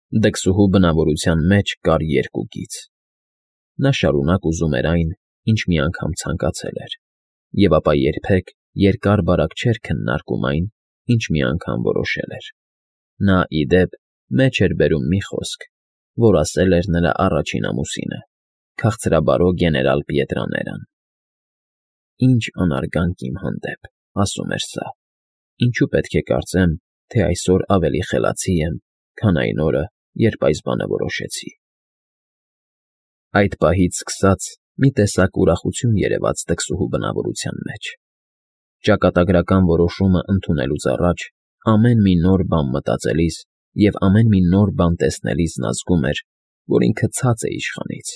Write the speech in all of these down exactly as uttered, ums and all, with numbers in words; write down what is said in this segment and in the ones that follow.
Դքսուհու բնավորության մեջ կար երկու գիծ. նա շարունակ ուզում էր այն, ինչ մի անգամ ցանկացել էր, և ապա երբեք երկար֊բարակ չէր քննարկում այն, ինչ մի անգամ որոշել էր. նա, ի դեպ, մեջ էր բերում մի խոսք, որ ասել էր նրա առաջին ամուսինը, քաղցրաբարո գեներալ Պիետրաներան. «Ինչ անարգանք իմ հանդեպ», ասում էր սա, «ինչու պետք է կարծեմ, թե այսօր ավելի խելացի եմ, քան այն օրը, երբ այս բանը որոշեցի»։ Այդ պահից սկսած մի տեսակ ուրախություն երևաց դքսուհու բնավորության մեջ. ճակատագրական որոշումը ընդունելուց առաջ ամեն մի նոր բան մտածելիս և ամեն մի նոր բան տեսնելիս նա զգում էր, որ ինքը ցած է իշխանից,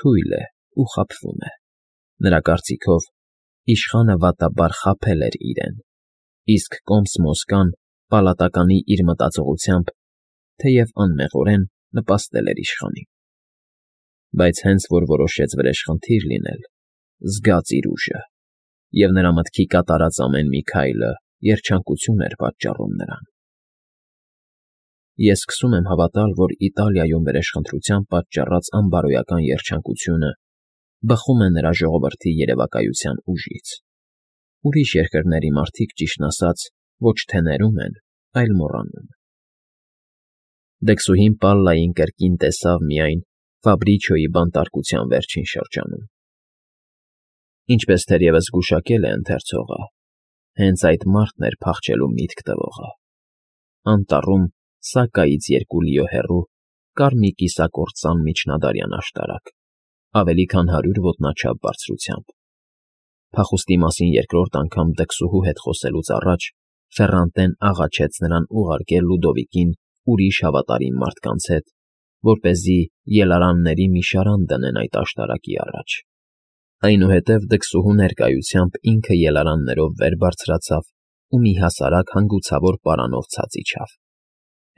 թույլ է ու խաբվում է. նրա կարծիքով, իշխանը վատաբար խաբել էր իրեն, իսկ կոմս֊մոսկան պալատականի իր մտածողությամբ, թեև անմեղորեն նպաստել էր իշխանին։ Բայց հենց որ որոշեց վրեժխնդիր լինել, զգաց իր ուժը, և նրա մտքի կատարած ամեն մի քայլը երջանկություն էր պատճառում նրան։ Ես սկսում եմ հավատալ, որ Իտալիայում վրեժխնդրության պատճառած անբարոյական երջանկությունը բխում է նրա ժողովրդի երևակայության ուժից։ Ուրիշ երկրների մարդիկ, ճիշտն ասած, ոչ թե ներում են, այլ մոռանում։ Դքսուհին Պալլային կրկին տեսավ միայն Ֆաբրիչոյի բանտարկության վերջին շրջանում։ Ինչպես թերևս զգուշակել է ընթերցողը, հենց այդ մարդն էր փախչելու միտք տվողը։ Անտառում Սակայից երկու լիո հեռու կար մի կիսակործան միջնադարյան աշտարակ, ավելի քան հարյուր ոտնաչափ բարձրությամբ։ Փախուստի մասին երկրորդ անգամ դքսուհու հետ խոսելուց առաջ Ֆեռանտեն աղաչեց նրան ուղարկել Լուդովիկին ուրիշ հավատարիմ մարդկանց հետ, որպեսզի ելարանների մի շարան դնեն այդ աշտարակի առաջ։ Այնուհետև դքսուհու ներկայությամբ ինքը ելարաններով վեր բարձրացավ ու մի հասարակ հանգուցավոր պարանով ցած իջավ։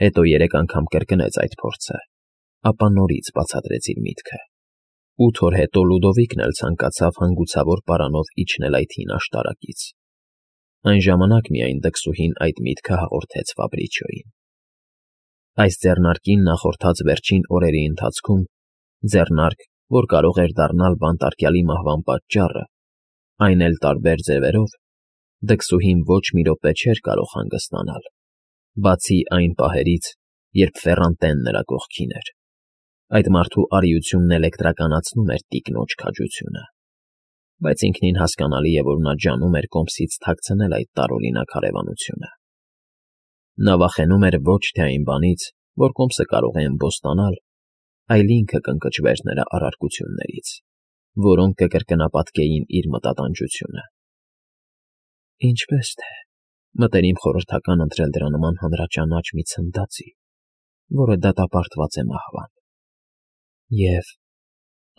Հետո երեք անգամ կրկնեց այդ փորձը, ապա նորից բացատրեց իր միտքը։ Ութ օր հետո Լուդովիկն էլ ցանկացավ հանգուցավոր պարանով իջնել այդ հին աշտարակից։ Այն ժամանակ միայն դքսուհին այդ միտքը հաղորդեց Ֆաբրիչոյին։ Այս ձեռնարկին նախորդած վերջին օրերի ընթացքում, ձեռնարկ, որ կարող էր դառնալ բանտարկյալի մահվան պատճառը, այն էլ տարբեր ձևերով, դքսուհին ոչ մի րոպե չէր կարող հանգստանալ, բացի այն պահերից, երբ Ֆեռանտեն նրա կողքին էր։ Այդ մարդու արիությունն էլեկտրականացնում էր տիկնոջ քաջությունը։ Բայց ինքնին հասկանալի է, որ նա ջանում էր կոմսից թաքցնել այդ տարօրինակ հարևանությունը։ Նա վախենում էր ոչ թե այն բանից, որ կոմսը կարող է ըմբոստանալ, այլ ինքը կընկճվեր նրա արարքություններից, որոնք կկրկնապատկեին իր մտատանջությունը։ Ինչպես թե, մտերիմ խորհրդական ընտրել դրա նման հանրաճանաչ մի ցնդածի, որը դատապարտված է մահվան։ Եվ,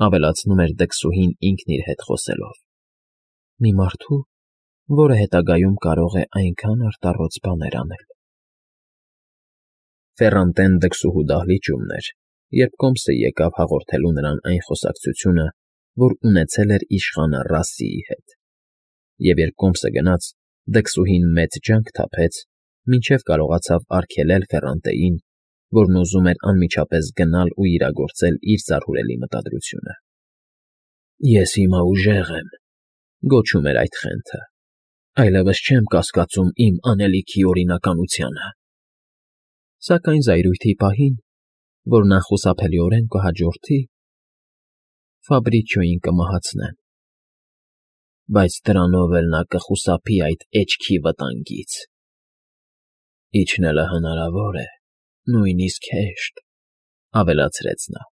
ավելացնում էր դքսուհին ինքն իր հետ խոսելով, մի մարդու, որը հետագայում կարող է այնքան արտառոց բաներ անել։ Ֆեռանտեն դքսուհու դահլիճումն էր, երբ կոմսը եկավ հաղորդելու նրան այն խոսակցությունը, որ ունեցել էր իշխանը Ռասսիի հետ։ Եվ երբ կոմսը գնաց, դքսուհին մեծ ջանք թափեց, մինչև կարողացավ արգելել Ֆեռանտեին, որն ուզում էր անմիջապես գնալ ու իրագործել իր զարհուրելի մտադրությունը։ «Ես հիմա ուժեղ եմ», գոչում էր այդ խենթը, «այլևս չեմ կասկածում իմ անելիքի օրինականությանը»։ Սակայն զայրույթի պահին, որն անխուսափելիորեն կհաջորդի, Ֆաբրիչոյին կմահացնեն։ Բայց դրանով էլ նա կխուսափի այդ էչքի վտանգից։ Իջնելը հնարավոր է, նույնիսկ հեշտ, ավելացրեց նա,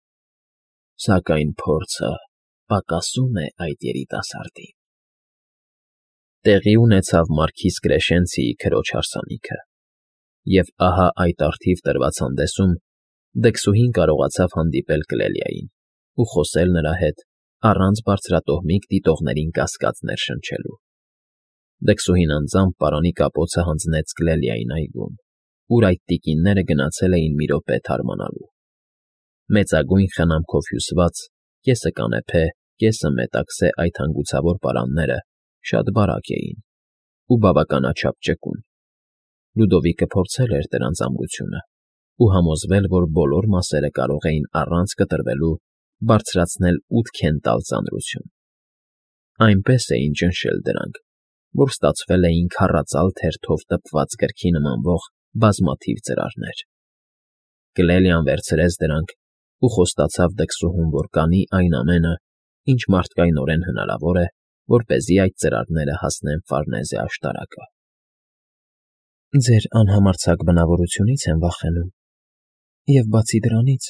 սակայն փորձը պակասում է այդ երիտասարդին։ Տեղի ունեցավ Մարքիզ Կրեշենցիի քրոջ հարսանիքը, և ահա այդ առթիվ տրված հանդեսում դքսուհին կարողացավ հանդիպել Կլելիային ու խոսել նրա հետ առանց բարձրատոհմիկ դիտողներին կասկած ներշնչելու։ Դքսուհին անձամբ պարանի կապոցը հանձնեց Կլելիային այգում, ուր այդ տիկինները գնացել էին մի րոպե թարմանալու։ Մեծագույն խնամքով հյուսված, կեսը կանեփե, կեսը մետաքսե այդ հանգուցավոր պարանները շատ բարակ էին ու բավականաչափ ճկուն։ Լուդովիկը փորձել էր դրանց ամրությունը, ու համոզվել, որ բոլոր մասերը կարող էին առանց կտրվելու բարձրացնել ութ քենտալ ծանրություն։ Այնպես էին ճնշել դրանք, որ ստացվել էին քառածալ թերթով տպված գրքի նմանվող բազմաթիվ ծրարներ։ Կլելիան վերցրեց դրանք ու խոստացավ դքսուհուն, որ կանի այն ամենը, ինչ մարդկայնորեն հնարավոր է, որպեսզի այդ ծրարները հասնեն Ֆարնեզե աշտարակը։ Ձեր անհամարձակ բնավորությունից եմ վախենում, և բացի դրանից,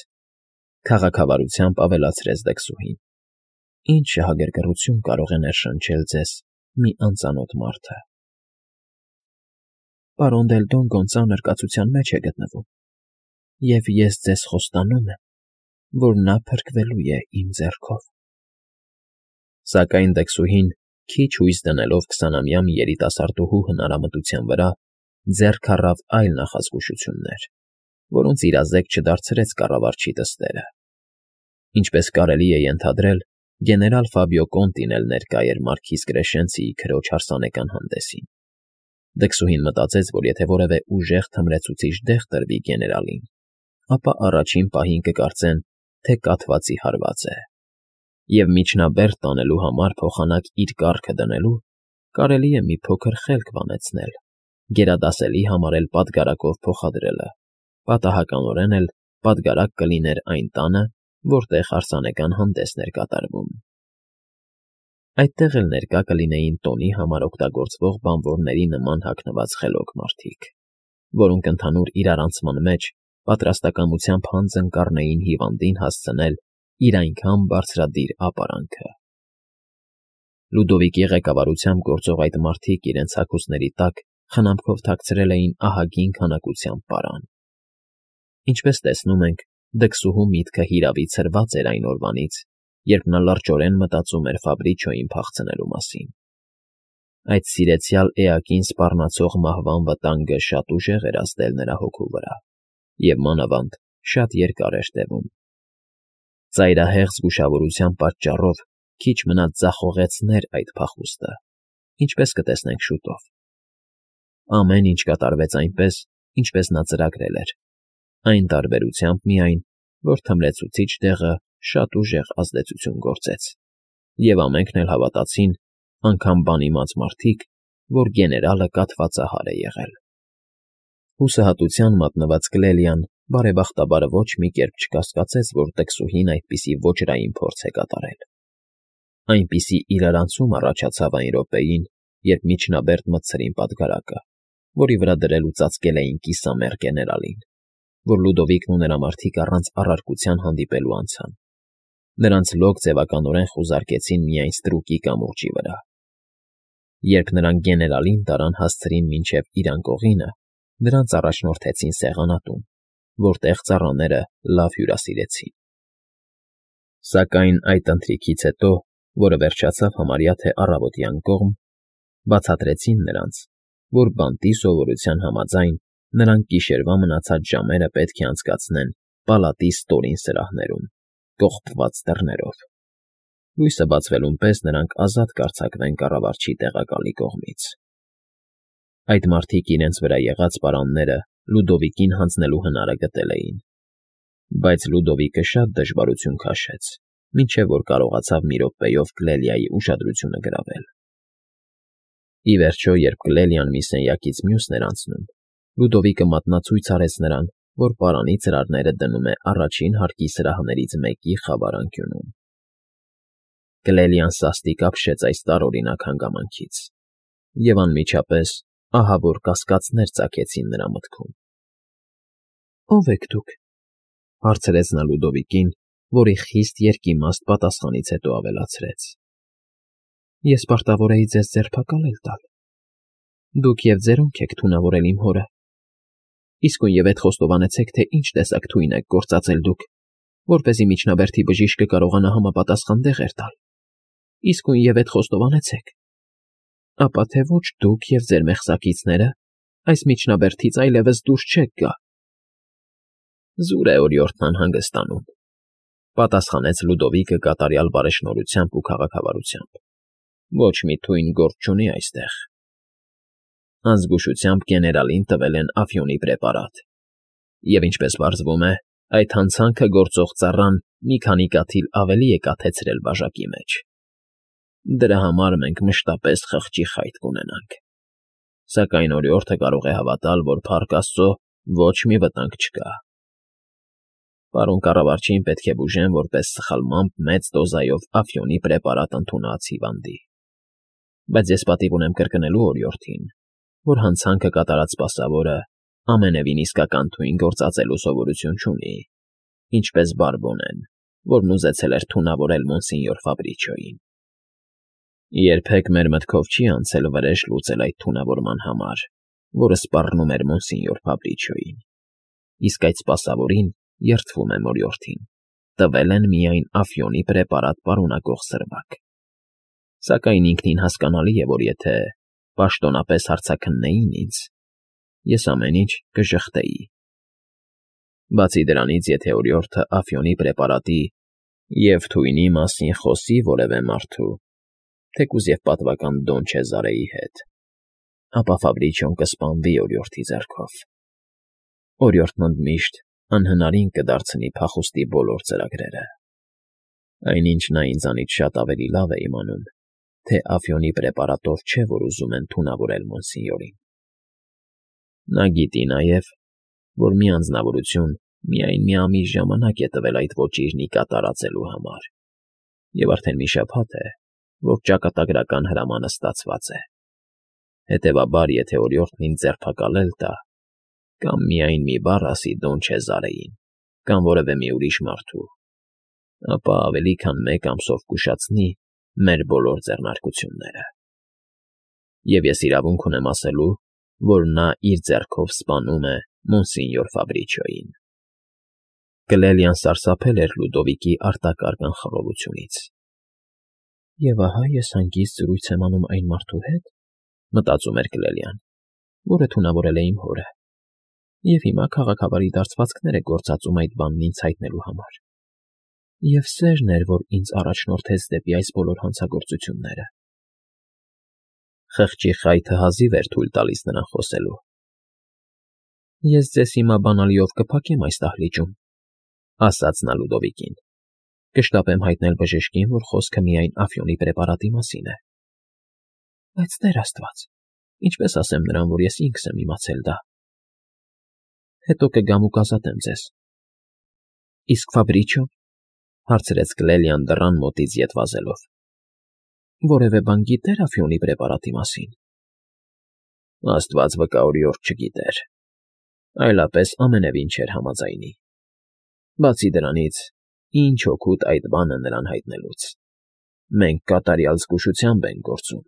քաղաքավարությամբ ավելացրեց դքսուհին, ինչ շահագրգռություն կարող է ներշնչել ձեզ մի անծանոթ մարդը։ Պարոն Դելտոնգոն ծանր կացության մեջ է գտնվում, և ես ձեզ խոստանում եմ, որ նա փրկվելու է իմ ձեռքով։ Սակայն դքսուհին, քիչ հույս դնելով քսանամյա մի երիտասարդուհու հնարամտության վրա, ձեռք առավ այլ նախազգուշություններ, որոնց իրազեկ չդարձրեց կառավարչի դստերը։ Ինչպես կարելի է ենթադրել, գեներալ Ֆաբիո Կոնտին էլ ներկա էր մարքիզ Կրեշենցիի քրոջ հարսանեկան հանդեսին։ Դքսուհին մտածեց, որ եթե որևէ ուժեղ թմրեցուցիչ դեղ տրվի գեներալին, ապա առաջին պահին կկարծեն, թե կաթվածի հարված է, և միջնաբերդ տանելու համար փոխանակ իր կառքը դնելու, կարելի է մի փոքր խելք վանեցնել, գերադասելի համարել պատգարակով փոխադրելը, պատահականորեն էլ պատգարակ կլիներ այն տանը, որտեղ հարսանեկան հանդեսն էր կատարվում։ Այդտեղ էլ ներկա կլինեին տոնի համար օգտագործվող բանվորների նման հագնված խելոք մարդիկ, որոնք ընդհանուր իրարանցման մեջ պատրաստակամությամբ հանձն կառնեին հիվանդին հասցնել իր այնքան բարձրադիր ապարանքը։ Լյուդովիկի ղեկավարությամբ գործող այդ մարդիկ իրենց հագուստների տակ խնամքով թաքցրել էին ահագին քանակությամբ պարան։ Ինչպես տեսնում ենք, դքսուհու միտքը հիրավի ցրված էր այն օրվանից, երբ նա լրջորեն մտածում էր Ֆաբրիչոյին փախցնելու մասին։ Այդ սիրեցյալ էակին սպառնացող մահվան վտանգը շատ ուժեղ էր ազդել նրա հոգու վրա, և մանավանդ շատ երկար էր տևում։ Ծայրահեղ զգուշավորության պատճառով քիչ մնաց ձախողեցներ այդ փախուստը, ինչպես կտեսնենք շուտով։ Ամեն ինչ կատարվեց այնպես, ինչպես նա ծրագրել էր, այն տարբերությամբ միայն, որ թմրեցուցիչ դեղը շատ ուժեղ ազդեցություն գործեց, և ամենքն էլ հավատացին, անգամ բանիմաց մարդիկ, որ գեներալը կաթվածահար է եղել։ Հուսահատության մատնված Կլելիան բարեբախտաբար ոչ մի կերպ չկասկածեց, որ դքսուհին այդպիսի ոճրային փորձ է կատարել։ Այնպիսի իրարանցում առաջացավ այն րոպեին, երբ միջնաբերդ մտցրին պատգարակը, որի վրա դրել ու ծածկել էին կիսամեռ գեներալին, որ Լյուդովիկն ու նրա մարդիկ առանց առարկության հանդիպելու անցան։ Նրանց լոկ ձևականորեն խուզարկեցին միայն ստրուկի կամուրջի վրա։ Երբ նրանք գեներալին տարան հասցրին մինչև իր անկողինը, նրանց առաջնորդեցին սեղանատուն, որտեղ ծառաները լավ հյուրասիրեցին։ Սակայն այդ ընթրիքից հետո, որը վերջացավ համարյա թե առավոտյան կողմ, բացատրեցին նրանց, որ բանտի սովորության համաձայն նրանք գիշերվա մնացած ժամերը պետք է անցկացնեն պալատի ստորին սրահներում, կողպված դռներով։ Լույսը բացվելուն պես նրանք ազատ կարձակվեն կառավարչի տեղակալի կողմից։ Այդ մարդիկ իրենց վրա եղած պարանները Լյուդովիկին հանձնելու հնարը գտել էին, բայց Լյուդովիկը շատ դժվարություն քաշեց, մինչև որ կարողացավ մի րոպեով Կլելիայի ուշադրությունը գրավել։ Ի վերջո, երբ Կլելիան մի սենյակից մյուսն էր անցնում, Լյուդովիկը մատնացույց արեց նրան, որ պարանի ծրարները դնում է առաջին հարկի սրահներից մեկի խավար անկյունում։ Կլելիան սաստիկ ապշեց այս տարօրինակ հանգամանքից, և անմիջապես ահավոր կասկածներ ծագեցին նրա մտքում։ ֊ Ո՞վ եք դուք,֊ հարցրեց նա Լյուդովիկին, որի խիստ երկիմաստ պատասխանից հետո ավելացրեց։ ֊ Ես պարտավոր էի ձեզ ձերբակալել տալ։ Դուք և ձերոնք եք թունավորել իմ հորը։ Իսկույնև ետ խոստովանեցեք, թե ինչ տեսակ թույն եք գործածել դուք, որպեսզի միջնաբերդի բժիշկը կարողանա համապատասխան դեղեր տալ։ Իսկույնև ետ խոստովանեցեք։ Ապա թե ոչ դուք և ձեր մեղսակիցները այս միջնաբերդից այլևս դուրս չեք գա։ Զուր է օրիորդն անհանգստանում,֊ պատասխանեց Լյուդովիկը կատարյալ բարեշնորհությամբ ու քաղաքավարությամբ։ Ոչ մի թույն գործ չունի այստեղ։ Անզգուշությամբ գեներալին տվել են աֆյոնի պրեպարատ։ Եվ ինչպես պարզվում է, այդ հանցանքը գործող ծառան մի քանի կաթիլ ավելի է կաթեցրել բաժակի մեջ։ Դրա համար մենք մշտապես խղճի խայտ կունենանք։ Սակայն օրիորդը կարող է հավատալ, որ Փառք Աստծո ոչ մի վտանգ չկա։ Պարոն կառավարչին պետք է բուժեն որպես սխալմամբ մեծ դոզայով աֆիոնի պրեպարատ ընդունած հիվանդի։ Բայց ես պատիվ ունեմ կրկնելու օրիորդին, որ հանցանքը կատարած սպասավորը ամենևին իսկական թույն գործածելու սովորություն չունի, ինչպես Բարբոնեն, որն ուզեցել էր թունավորել մոնսինյոր Ֆաբրիչոյին։ Երբեք մեր մտքով չի անցել վրեժ լուծել այդ թունավորման համար, որը սպառնում էր մոնսինյոր Ֆաբրիչոյին, իսկ այդ սպասավորին, երդվում եմ օրիորդին, տվել են միայն աֆիոնի պրեպարատ պարունակող սրվակ։ Սակայն ինքնին հասկանալի է, որ եթե պաշտոնապես հարցաքննեին ինձ, ես ամեն ինչ կժխտեի։ Բացի դրանից, եթե օրիորդը աֆիոնի պրեպարատի և թույնի մասին խոսի որևէ մարդու, թեկուզ և պատվական Դոն Չեզարեի հետ, ապա Ֆաբրիչոն կսպանվի օրիորդի ձեռքով։ Օրիորդն ընդմիշտ անհնարին կդարձնի փախուստի բոլոր ծրագրերը։ Այնինչ նա ինձանից շատ ավելի լավ է իմանում, թե աֆիոնի պրեպարատով չէ, որ ուզում են թունավորել մոնսինյորին։ Նա գիտի նաև, որ մի անձնավորություն միայն մի ամիս ժամանակ է տվել այդ ոճիրն ի կատար ածելու համար, և արդեն մի շաբաթ է, որ ճակատագրական հրամանը ստացված է։ Հետևաբար, եթե օրիորդն ինձ ձերբակալել տա, կամ միայն մի բառ ասի Դոն Չեզարեին, կամ որևէ մի ուրիշ մարդու, ապա ավելի քան մեկ ամսով կուշացնի մեր բոլոր ձեռնարկությունները։ Եվ ես իրավունք ունեմ ասելու, որ նա իր ձեռքով սպանում է մոնսինյոր Ֆաբրիչոյին։ Գլելիան սարսափել էր Լյուդովիկի արտակարգ անխռովությունից։ «Եվ ահա ես հանգիստ զրույց եմ անում այն մարդու հետ, ֊ մտածում էր Գլելիան, ֊ որը թունավորել է իմ հորը, և հիմա քաղաքավարի դարձվածքներ է գործածում այդ բանն ինձ հայտնելու համար։ Եվ սերն էր, որ ինձ առաջնորդեց դեպի այս բոլոր հանցագործությունները»։ Խղճի խայթը հազիվ էր թույլ տալիս նրան խոսելու։ «Ես ձեզ հիմա բանալիով կփակեմ այս դահլիճում, ֊ ասաց նա Լյուդովիկին։ ֊ Կշտապեմ հայտնել բժշկին, որ խոսքը միայն աֆիոնի պրեպարատի մասին է։ Բայց, Տեր Աստված, ինչպես ասեմ նրան, որ ես ինքս եմ իմացել դա։ Հետո կգամ ու կազատեմ ձեզ»։ ֊ Իսկ Ֆաբրիչո՞ն,֊ հարցրեց Գլելիան դռան մոտից ետ վազելով։ ֊ Որևէ բան գիտե՞ր աֆիոնի պրեպարատի մասին։ Աստված վկա, օրիորդ չգիտեր, այլապես ամենևին չէր համաձայնի։ Բացի դրանից, ինչ օգուտ այդ բանը նրան հայտնելուց։ Մենք կատարյալ զգուշությամբ ենք գործում։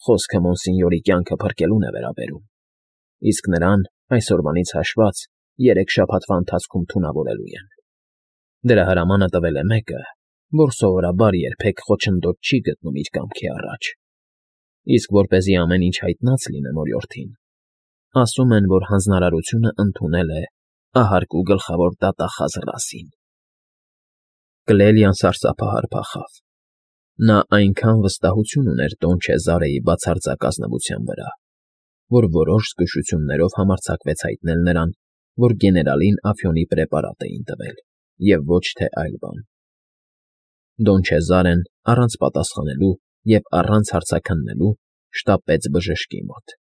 Խոսքը մոնսինյորի կյանքը փրկելուն է վերաբերում, իսկ նրան այսօրվանից հաշված երեք շաբաթվա ընթացքում թունավորելու են։ Դրա հրամանը տվել է մեկը, որ սովորաբար երբեք խոչընդոտ չի գտնում իր կամքի առաջ, իսկ որպեսզի ամեն ինչ հայտնած լինեմ օրիորդին, ասում են, որ հանձնարարությունը ընդունել է ահարկու գլխավոր դատախազ Ռասին։ Գլելիան սարսափահար փախավ։ Նա այնքան վստահություն ուներ Դոն Չեզարեի բացարձակ ազնվության վրա, որ որոշ զգուշություններով համարձակվեց հայտնել նրան, որ գեներալին աֆիոնի պրեպարատ էին տվել, և ոչ թե այլ բան։ Դոն Չեզարեն, առանց պատասխանելու և առանց հարցաքննելու, շտապեց բժշկի մոտ։